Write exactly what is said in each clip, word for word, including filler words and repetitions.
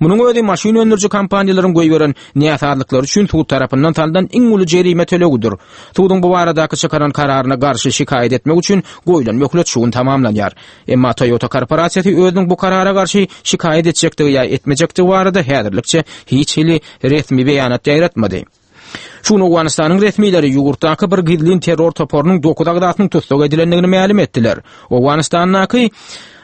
Munuň özi maşyn öndüriji kompaniýalaryň goýberen näsazlyklary üçin sud tarapyndan salnan iň uly jerime tölegidir. Suduň bu baradaky çykaran kararyna garşy şikaýat etmek üçin goýlan möhlet şu gün tamamlanýar. Emma Toyota korporasiýasy özüniň bu karara garşy şikaýat etjekdigi ýa etmejekdigi barada häzirlikçe hiç hili resmi beýanat ýaýratmady. Şu gün Owganystanyň resmileri ýurtdaky bir gizlin terror toparynyň dokuz agzasynyň tussag edilendigini mälim etdiler. Owganystandaky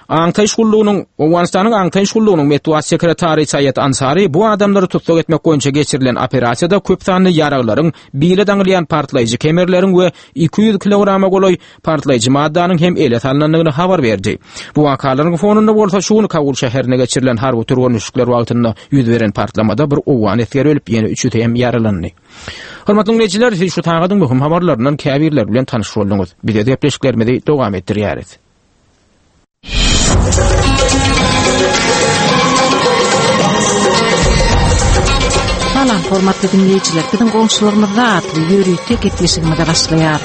Aňtaýyş gullugynyň Owganystanyň Aňtaýyş gullugynyň metbugat sekretary Saýat Ansari bu adamlary tussag etmek boýunça geçirilen operasiýada köp sanly ýaraglaryň, bile daňylýan partlaýjy kemerleriň we iki ýüz kilograma golaý partlaýjy maddanyň hem ele salnandygyny habar berdi. Bu wakalaryň fonunda bolsa şu gün Kabul şäherine geçirilen harby türgenleşikler wagtynda ýüz beren partlamada bir owgan esgeri ölüp, ýene üçüsi hem ýaralandy. Hormatly dinleýjiler, siz şu sagadyň möhüm habarlaryndan käbirleri bilen tanyş bolduňyz. Biz gepleşiklerimizi dowam etdirýäris. Salam, hormatly dinleýjiler. Biziň goňşularymyzda atly ýörite gepleşigimize başlaýar.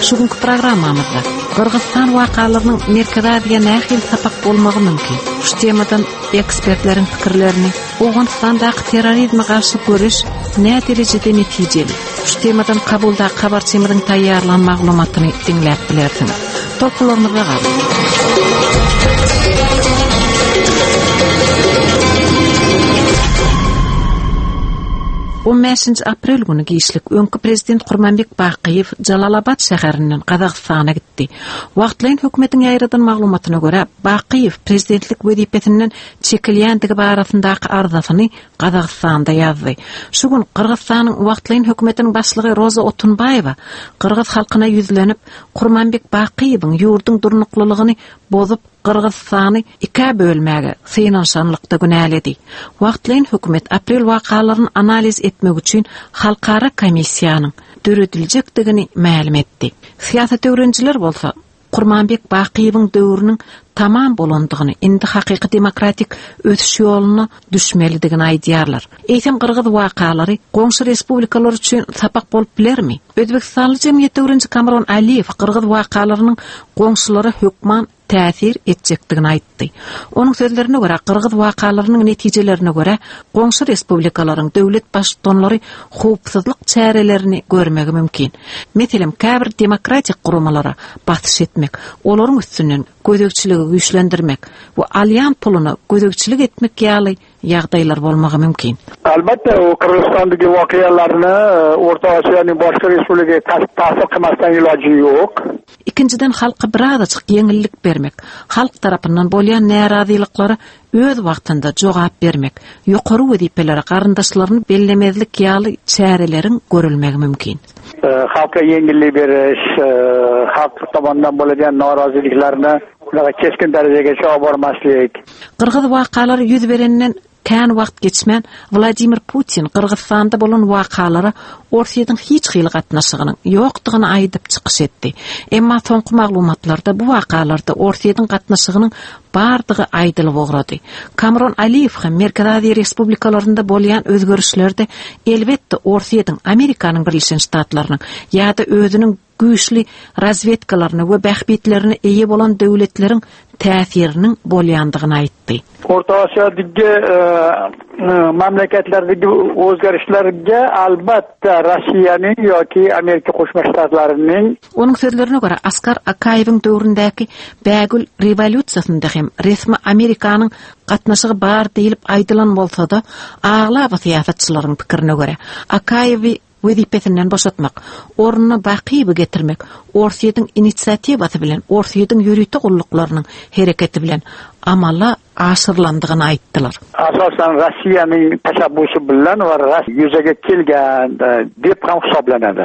Şu günkü programmamyzda Gyrgyzystan wakalarynyň Merkezi Aziýa nähili sapak bolmagy mümkin? Şu temadan ekspertleriň pikirlerini, Owganystandaky terrorizme garşy göreş nä derejede netijeli? Şu temadan Kabulda habarçymyzyň taýýarlan maglumatyny diňläp bilersiňiz. Tolkunlarymyzda galyň. On beşinji aprel günü giçlik öňki prezident Kurmanbek Bakyýew Jalalabad şäherinden Gazagystana gitdi. Wagtlaýyn hökümetiň ýaýradan maglumatyna görä, Bakyýew prezidentlik wezipesinden çekilýändigi barasyndaky arzasyny Gazagystanda ýazdy. Şu gün Gyrgyzystanyň wagtlaýyn hökümetiniň başlygy Roza Otunbaýewa Gyrgyz halkyna ýüzlenip, Kurmanbek Bakyýewiň ýurduň durnuklylygyny bozup Gyrgyzystany ikä bölmäge synanyşanlykda günäledi. Wagtlaýyn hökümet aprel wakalaryny analiz etmek üçin halkara komissiýanyň dörediljekdigini mälim etdi. Syýasat öwrenijiler bolsa Kurmanbek Bakyýewiň döwrüniň tamam bolandygyny, indi hakyky demokratik ösüş ýoluna düşmelidigini aýdýarlar. Eýsem Gyrgyz wakalary goňşy respublikalar üçin sapak bolup bilermi? Özbekistanly jemgyýet öwreniji Kamron Aliýew Gyrgyz wakalarynyň goňşulara hökman täsir etjekdigini aýtdy. Onuň sözlerine görä, Gyrgyz wakalarynyň netijelerine görä, goňşy respublikalaryň döwlet baştutanlary howpsuzlyk çärelerini görmegi mümkin. Meselem, käbir demokratik guramalara basyş etmek, olaryň üstünden gözegçiligi güýçlendirmek we alýan puluna gözegçilik etmek ýaly ýagdaýlar bolmagy mümkin. Albatta, u Qirg'izistondagi voqealarni O'rta Osiyoning boshqa respublikaga ta'sir qilmasdan iloji yo'q. Ikinjiden halka birazajyk ýeňillik bermek, halk tarapyndan bolýan närazylyklary öz wagtynda jogap bermek, ýokary wezipelere garyndaşlaryny bellemezlik ýaly çäreleriň görülmegi mümkin. Halka yengillik berish, xalq tomonidan bo'ladigan noroziliklarni unaqa keskin darajagacha olib bormaslik. Qirg'iz wakalary ýüz berenden kän wagt geçmän Vladimir Putin Gyrgyzystanda bolan wakalara Orsýetiň hiç hili gatnaşygynyň ýokdugyny aýdyp çykyş etdi. Emma soňky maglumatlarda bu wakalarda Orsýetiň gatnaşygynyň bardygy aýdylyp ugrady. Kamron Aliýew hem Merkezi Aziýa Respublikalarynda bolýan özgerişlerde elbetde Orsýetiň, Amerikanyň Birleşen Ştatlarynyň ýa-da özüniň güýçli razwedkalaryna we bähbitlerine eýe bolan döwletleriň täsiriniň bolýandygyny aýtdy. O'rta Osiyodagi, e, e, mamlakatlardagi o'zgarishlarga albatta Rossiyaning yoki Amerika Qo'shma Shtatlarining Onuň sözlerine görä, Askar Akaýewiň döwründäki Bägül rewolýusiýasynda hem resmi Amerikanyň gatnaşygy bar diýilip aýdylan bolsa-da, aglaba syýasatçylaryň pikirine görä, Akaýewi wezipesinden boşatmak, ornuna Bakyýewi getirmek, Orsýetiň inisiatiwasy bilen, Orsýetiň ýörite gulluklarynyň hereketi bilen amala aşyrylandygyny aýtdylar. Asosan Rossiyaning tashabbusi bilan va yuzaga kelgan, e, deb ham hisoblanadi.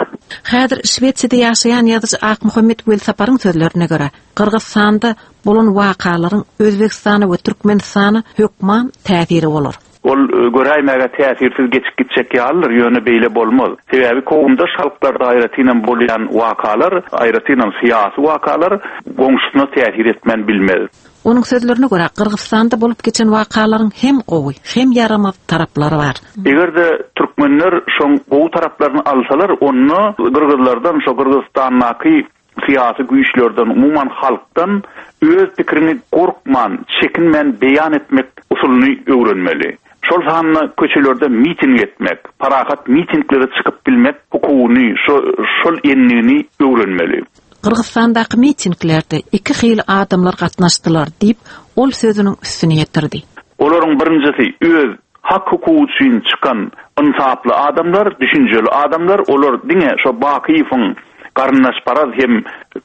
Häzir Şwesiýada ýaşaýan ýazyjy Akmuhammet Welsaparyň sözlerine görä, Gyrgyzystanda bolan wakalaryň Özbegistana we Türkmenistana hökman täsiri bolar. Ol, e, göräýmäge täsirsiz geçip gitjek ýalydyr, ýöne beýle bolmaz. Sebäbi kowumdaş halklarda aýratynam bolýan wakalar, aýratynam syýasy wakalar goňşusyna täsir etmän bilmez. Onuň sözlerine görä, Gyrgyzystanda bolup geçen wakalaryň hem gowy, hem ýaramaz taraplary bar. Eger-de türkmenler şoň gowy taraplaryny alsalar, onda Gyrgyzlardan, şo Gyrgyzystandaky syýasy güýçlerden, umuman halkdan öz pikirini gorkman, çekinmän beýan etmek usulyny öwrenmeli. Şol sanda köçelerde miting etmek, parahat mitinglere çykyp bilmek hukugyny, şo, şol endigini öwrenmeli. Gyrgyzystandaky mitinglerde iki hili adamlar gatnaşdylar diýip, ol sözüniň üstüni ýetirdi. Olaryň birinjisi öz hak hukugy üçin çykan ynsaply adamlar, düşünjeli adamlar, olar diňe şo Bakyýewiň garyndaşparaz hem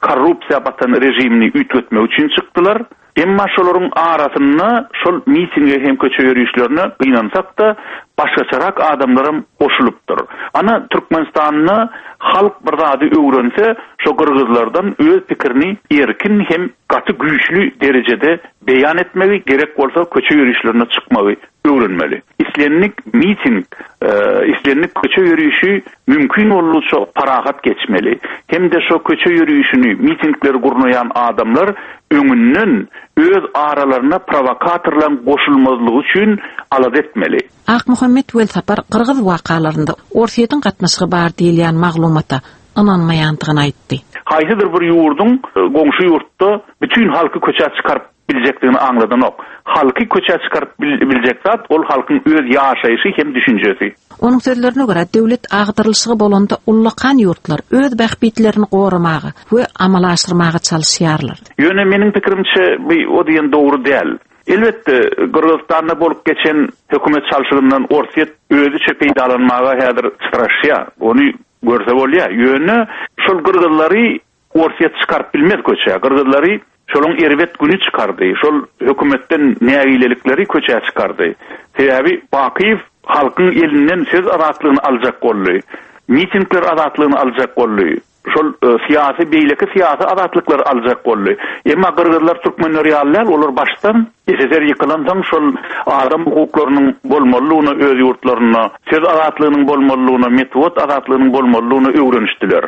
korrupsiýa batan rejimini üýtgetmek üçin çykdylar. Emma şolaryň arasynda şol mitinge hem köçe ýörişlerine gynansak-da başgaçarak adamlaram goşulypdyr. Ana Türkmenistanda halk bir zady öwrense, şo gyrgyzlardan öz pikirini erkin hem gaty güýçli derejede beýan etmegi, gerek bolsa köçe ýörişlerine çykmagy öwrenmeli. Islendik miting, e, islendik köçe ýörişi mümkin boldugyça parahat geçmeli. Hem de şo köçe ýörişini, mitingleri gurnaýan adamlar öňünden öz aralaryna provokatorlaryň goşulmazlygy üçin alada etmeli. Akmuhammet Welsapar Gyrgyz wakalarynda Orsýetiň gatnaşygy bar diýilýän maglumata ynanmaýandygyny aýtdy. Haýsydyr bir ýurduň e, goňşy ýurtda bütün halky köçä çykaryp biljekdigini aňladanok. Halky köçä çykaryp biljek zat ol halkyň öz ýaşaýşy hem düşünjesi. Onuň sözlerine görä döwlet agdarylyşygy bolanda ullakan ýurtlar öz bähbitlerini goramaga we amala aşyrmaga çalyşýarlar. Ýöne meniň pikirimçe bu o diýen dogry däl. Elbetde Gyrgyzystanda bolup geçen hökümet çalşygyndan Orsýet özüçe peýdalanmaga häzir çytraşýar. Ony görse bolýar. Ýöne şol gyrgyzlary Orsýet çykaryp bilmez köçä. Gyrgyzlary şoluň erbet günü çykardy. Şol hökümetden nägilelikleri köçä çykardy. Sebäbi Bakyýew halkyň elinden söz azatlygyny aljak boldy. Mitingler azatlygyny aljak boldy. Şol e, syýasy beýleki syýasy azatlyklary aljak boldy. Emma gyrgyzlar türkmenler ýaly däl, olar başdan S S S R ýykylansoň şol adam hukuklarynyň bolmalydygyna öz ýurtlarynda, söz azatlygynyň bolmalydygyna, metbugat azatlygynyň bolmalydygyna öwrenişdiler.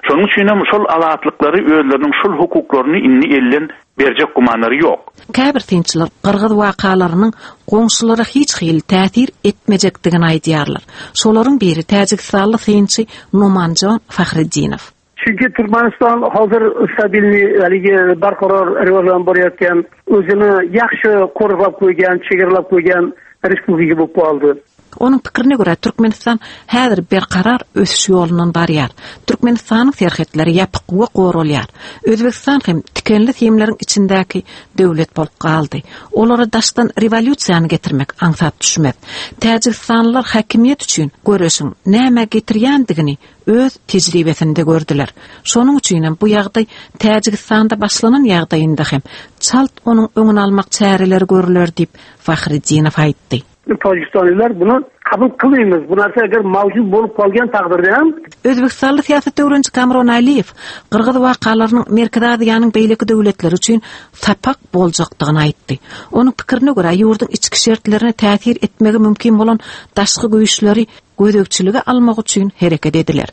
Şonuň üçin hem şol azatlyklary özleriniň şol hukuklaryny indi elden berjek gumanlary ýok. Käbir synçylar Gyrgyz wakalarynyň goňşulara hiç hili täsir etmejekdigini aýdýarlar. Şolaryň biri Täjigistanly synçy Numanjon Fahriddinow. Chunki Turkmaniston hozir stabilniy, haligi barqaror rivojlanib borayotgan, o'zini yaxshi qo'riqlab qo'ygan, chegaralab qo'ygan respublika bo'lib qoldi. Onuň pikirine görä Türkmenistan häzir berkarar ösüş ýolundan barýar. Türkmenistanyň serhetleri ýapyk we goralýar. Özbekistan hem tikenli simleriň içindäki döwlet bolup galdy. Olara daşdan rewolýusiýany getirmek aňsat düşmez. Täjigistanlylar hakimiýet üçin göreşiň näme getirýändigini öz tejribesinde gördüler. Şonuň üçin hem bu ýagdaý Täjigistanda başlanan ýagdaýynda hem çalt onuň öňüni almak çäreleri görüler diýip Fahriddinow aýtdy. Tojikistonliklar buni qabul qilmaymiz. Bu narsa agar mavjud bo'lib qolgan taqdirda ham Özbekistanly syýasat öwreniji Kamron Aliýew Gyrgyz wakalarynyň Merkezi Aziýanyň beýleki döwletleri üçin sapak boljakdygyny aýtdy. Onuň pikirine görä ýurduň içki şertlerine täsir etmegi mümkin bolan daşky güýçleri gözegçilige almak üçin hereket ediler.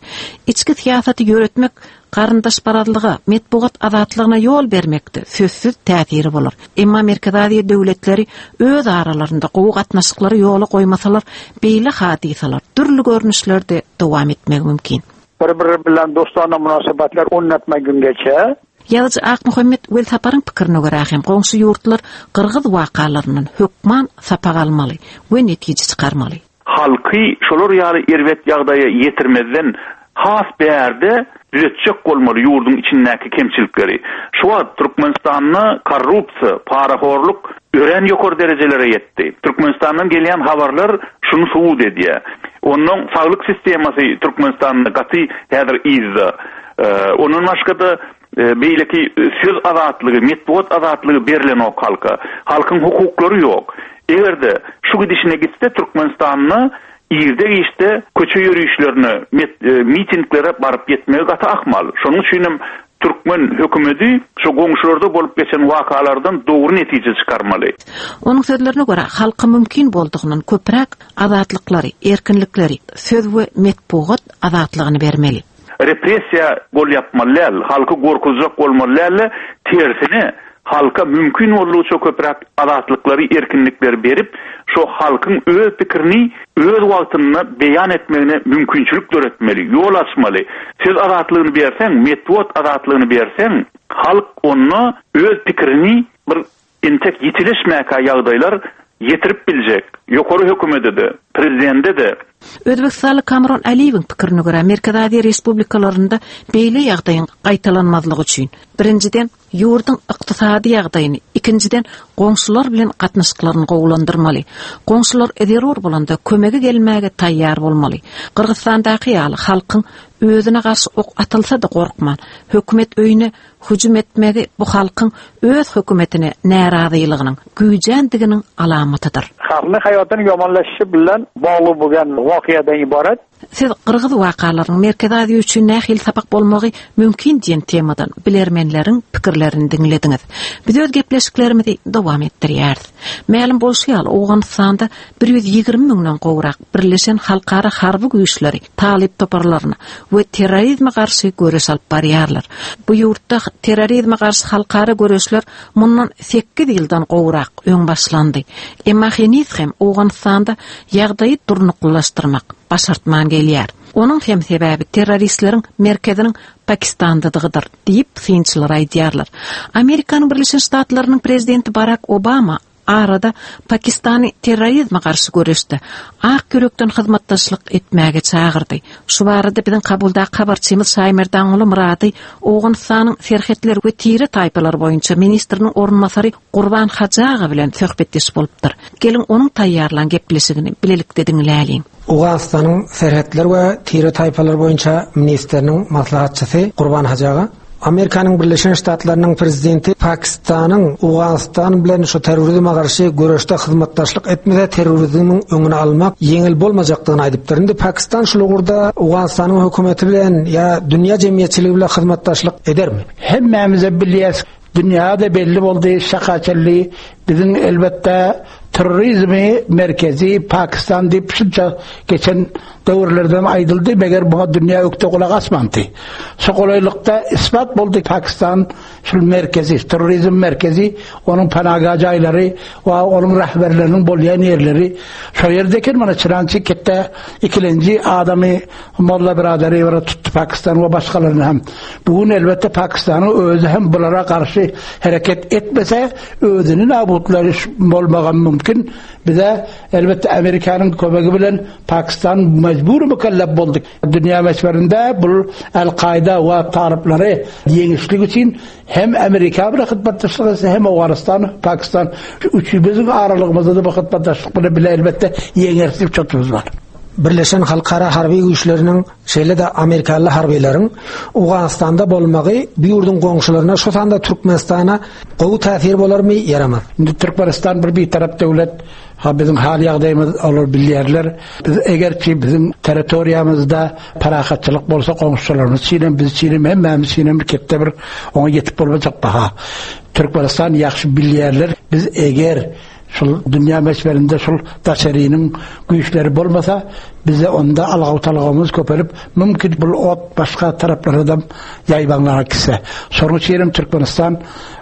Içki syýasaty ýöretmek garyndaşparazlyga, metbugat azatlygyna ýol bermekde sözsüz täsiri bolar. Emma Merkezi Aziýa döwletleri öz aralarynda gowy gatnaşyklary ýola goýmasalar, beýle hadysalar dürli görnüşlerde dowam etmegi mümkin. Bir-biri bilan do'stona munosabatlar o'rnatmagungacha Ýazyjy Akmuhammet Welsaparyň pikirine görä hem goňşy ýurtlar Gyrgyz wakalaryndan hökman sapak almaly we netije çykarmaly. Halky şolar ýaly erbet ýagdaýa ýetirmezden has bärde düzetjek bolmaly ýurduň içindäki kemçilikleri. Şu wagt Türkmenistanda korrupsiýa, parahorluk örän ýokary derejelere ýetdi. Türkmenistandan gelýän habarlar şuny subut edýär. Ondan saglyk sistemasy Türkmenistanda gaty häzir yzda. Ondan başga da e, beýleki söz azatlygy, metbugat azatlygy berilenok halka. Halkyň hukuklary ýok. Eger-de şu gidişine gitse Türkmenistanda irde işte köçe ýörişlerine, e, mitinglere baryp ýetmegi gaty ahmal. Şonuň üçin hem Türkmen hökümeti şu goňşularda bolup geçen wakalardan dogry netije çykarmaly. Onuň sözlerine görä halka mümkin boldugyndan köpräk azatlyklary, erkinlikleri, söz we metbugat azatlygyny bermeli. Repressiýa gol ýapmaly däl, halky gorkuzjak bolmaly däl, tersine halka mümkin boldugyça köpräk azatlyklary, erkinlikleri berip, şu halkyň öz pikirini öz wagtynda beýan etmegine mümkinçilik döretmeli, ýol açmaly. Söz azatlygyny berseň, metbugat azatlygyny berseň, halk onda öz pikirini bir entek ýitileşmäkä ýagdaýlar ýetirip biljek. Ýokary hökümete-de, prezidente-de. Özbekistanly Kamron Aliýewiň pikirine görä, Merkezi Aziýa Respublikalarynda beýle ýagdaýyň gaýtalanmazlygy üçin birinjiden ýurduň ykdysady ýagdaýyny, ikinjiden goňşular bilen gatnaşyklaryny gowulandyrmaly. Goňşular zerur bolanda kömege gelmäge taýýar bolmaly. Gyrgyzstandaky ýaly halkyň özüne garşy ok atylsa-da gorkman, hökümet öýüne hüjüm etmegi bu halkyň öz hökümetine närazylygynyň güýjändiginiň alamatydyr. Xalqning hayotini yomonlashishi bilan bog'liq bo'lgan voqeadan iborat. Siz Gyrgyz wakalarynyň Merkezi Aziýa üçin nähili sapak bolmagy mümkin diýen temadan bilermenleriň pikirlerini diňlediňiz. Biz öz gepleşiklerimizi dowam etdirýäris. Mälim bolşy ýaly, Owganystanda bir ýüz ýigrimi müňden gowrak Birleşen Halkara Harby Güýçleri talyp toparlaryna we terrorizme garşy göreş alyp barýarlar. Bu ýurtda terrorizme garşy halkara göreşler mundan sekiz ýyldan gowrak öň başlandy. Emma heniz hem Owganystanda ýagdaýy durnuklylaşdyrmak başartman gelýär. Onuň hem sebäbi terroristleriň merkeziniň Pakistandadygydyr diýip synçylar aýdýarlar. Amerikanyň Birleşen Ştatlarynyň prezidenti Barack Obama arada Pakistany terrorizme garşy göreşde ak ýürekden hyzmatdaşlyk etmäge çagyrdy. Şu barada biziň Kabuldaky habarçymyz Şaýmerdanguly Murady Owganystanyň serhetler we tire taýpalary boýunça ministriniň orunbasary Gurban Hajy bilen söhbetdeş bolupdyr. Geliň onuň taýýarlan gepleşigini bilelikde diňläliň. Owganystanyň serhetler we tire taýpalary boýunça ministriniň maslahatçysy Gurban Hajy aga, Amerikanyň Birleşen Ştatlarynyň prezidenti Pakistanyň Owganystan bilen şu terrorizme garşy göreşde hyzmatdaşlyk etmese terrorizmiň öňüni almak ýeňil bolmajakdygyny aýdypdyr. Indi Pakistan şu ugurda Owganystanyň hökümeti bilen ýa dünýä jemgyýetçiligi bilen hyzmatdaşlyk edermi? Hemmämize bilýäs, dünýäde belli boldy, şakaçelli biziň elbetde terrorizmi merkezi Pakistan diýip şunça geçen döwürlerden aýdyldy, meger bu dünýä ökde gulak asmandy. Şu golaýlykda isbat boldy Pakistan şul merkezi, terrorizm merkezi, onuň panaga jaýlary we onuň rehberleriniň bolýan ýerleri şo ýerde eken, mana Çyrançy ketde ikilenji adamy Molla biraderi bir tutdy Pakistan we başgalaryny hem. Bugün elbetde Pakistanyň özi hem bulara garşy hereket etmese özüni nabutlary bolmagy mümkin. Bize elbetde Amerikanyň kömegi bilen Pakistan mecbur mükellef boldy. Dünýä möçberinde bu El-Kaida we talyplary ýeňişlik üçin hem Amerika bilen hyzmatdaşlyk etse, hem Owganystan, Pakistan üçümüzün aralygymyzda da bu hyzmatdaşlyk bilen bile elbetde ýeňerslik çatymyz bar. Birleşen Halkara Harby Güýçleriniň, şeýle-de Amerikaly harbylaryň Owganystanda bolmagy bu ýurduň goňşularyna, şu sanda Türkmenistana gowy täsir bolarmy, ýaramaz? Indi Türkmenistan bir bitarap döwlet, ha bizim hal ýagdaýymyz olar bilýärler. Biz eger ki bizim territoriýamyzda parahatçylyk bolsa goňşularymyz üçin biz üçin hemmämiz üçin bir ketde bir oňa ýetip bolmajak baha. Türkmenistan ýagşy bilýärler. Biz eger şul dünýä möçberinde şul daşarynyň güýçleri bolmasa, bize onda algaw-talgawymyz köpelip, mümkin bu ot başga taraplara da ýaýbaňlara gitse. Şonuň üçin hem Türkmenistan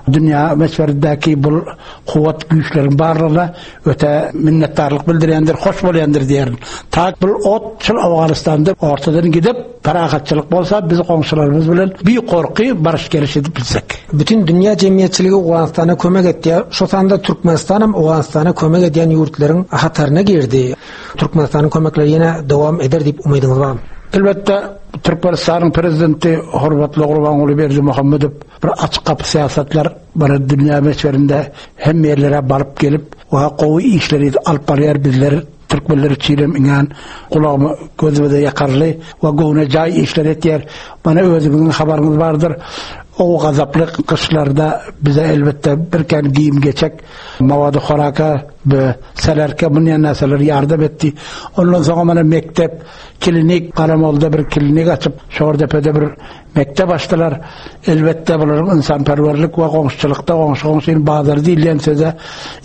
dünýä möçberindäki bu kuwwat güýçleriň barlygyna öte minnetdarlyk bildirýändir, hoş bolýandyr diýerin. Ta bu ot şul Owganystanda ortadan gidip parahatçylyk bolsa biz goňşularymyz bilen bir gorky barış geliş edip bilsek. Bütün dünýä jemgyýetçiligi Owganystana kömek etdi. Şu sanda Türkmenistan hem Owganystana kömek edýän ýurtlaryň hataryna girdi. Türkmenistanyň kömekleri ýene dowam eder diýip umydyňyz barmy? Elbetde Türkmenistanyň prezidenti hormatly Gurbanguly Berdimuhamedow bir açyk gapy syýasatlar bir dünýä möçberinde hem ýerlere baryp gelip we gowy işleri alyp barýar bizler Türkmenler üçin hem iňän gulagyma gözüme ýakarly we göwne jaý işler etýär. Bana özüňiziň habaryňyz bardyr. O gazaply gyşlarda bize elbetde bir kän giyim geçek, mawady horaka we selerke bunyan näseler yardım etdi. Ondan soňra mana mektep, klinik, Garamolda bir klinik açyp, Şordepede bir mektep açdylar. Elbetde bularyň insanperwerlik we goňşuçylykda goňşy goňşyny bazar diýilýän söze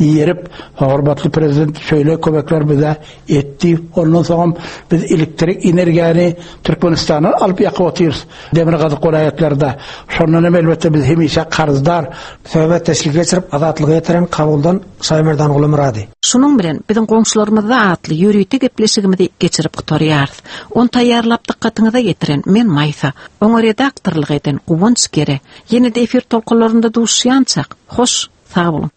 ýerip, hormatly prezident şöyle kömekler bize etdi. Ondan soňra biz elektrik energiýany Türkmenistana alyp ýakyp otyrys. Demirgazyk welaýatlarda. Şondan hem elbetde biz hemişe karzdar. Söhbetdeşlik geçirip Azatlyga ýetiren Kabuldan Şaýmerdanguly Murady. Şunuň bilen biziň goňşularymyzda atly ýörite gepleşigimizi geçirip gutarýarys. On taýýarlap dykgatyňyza ýetiren men Maýsa, oňa redaktorlyk eden Guwanç Gere. Ýene-de efir tolkunlarynda duşýançak. Hoş, sag boluň.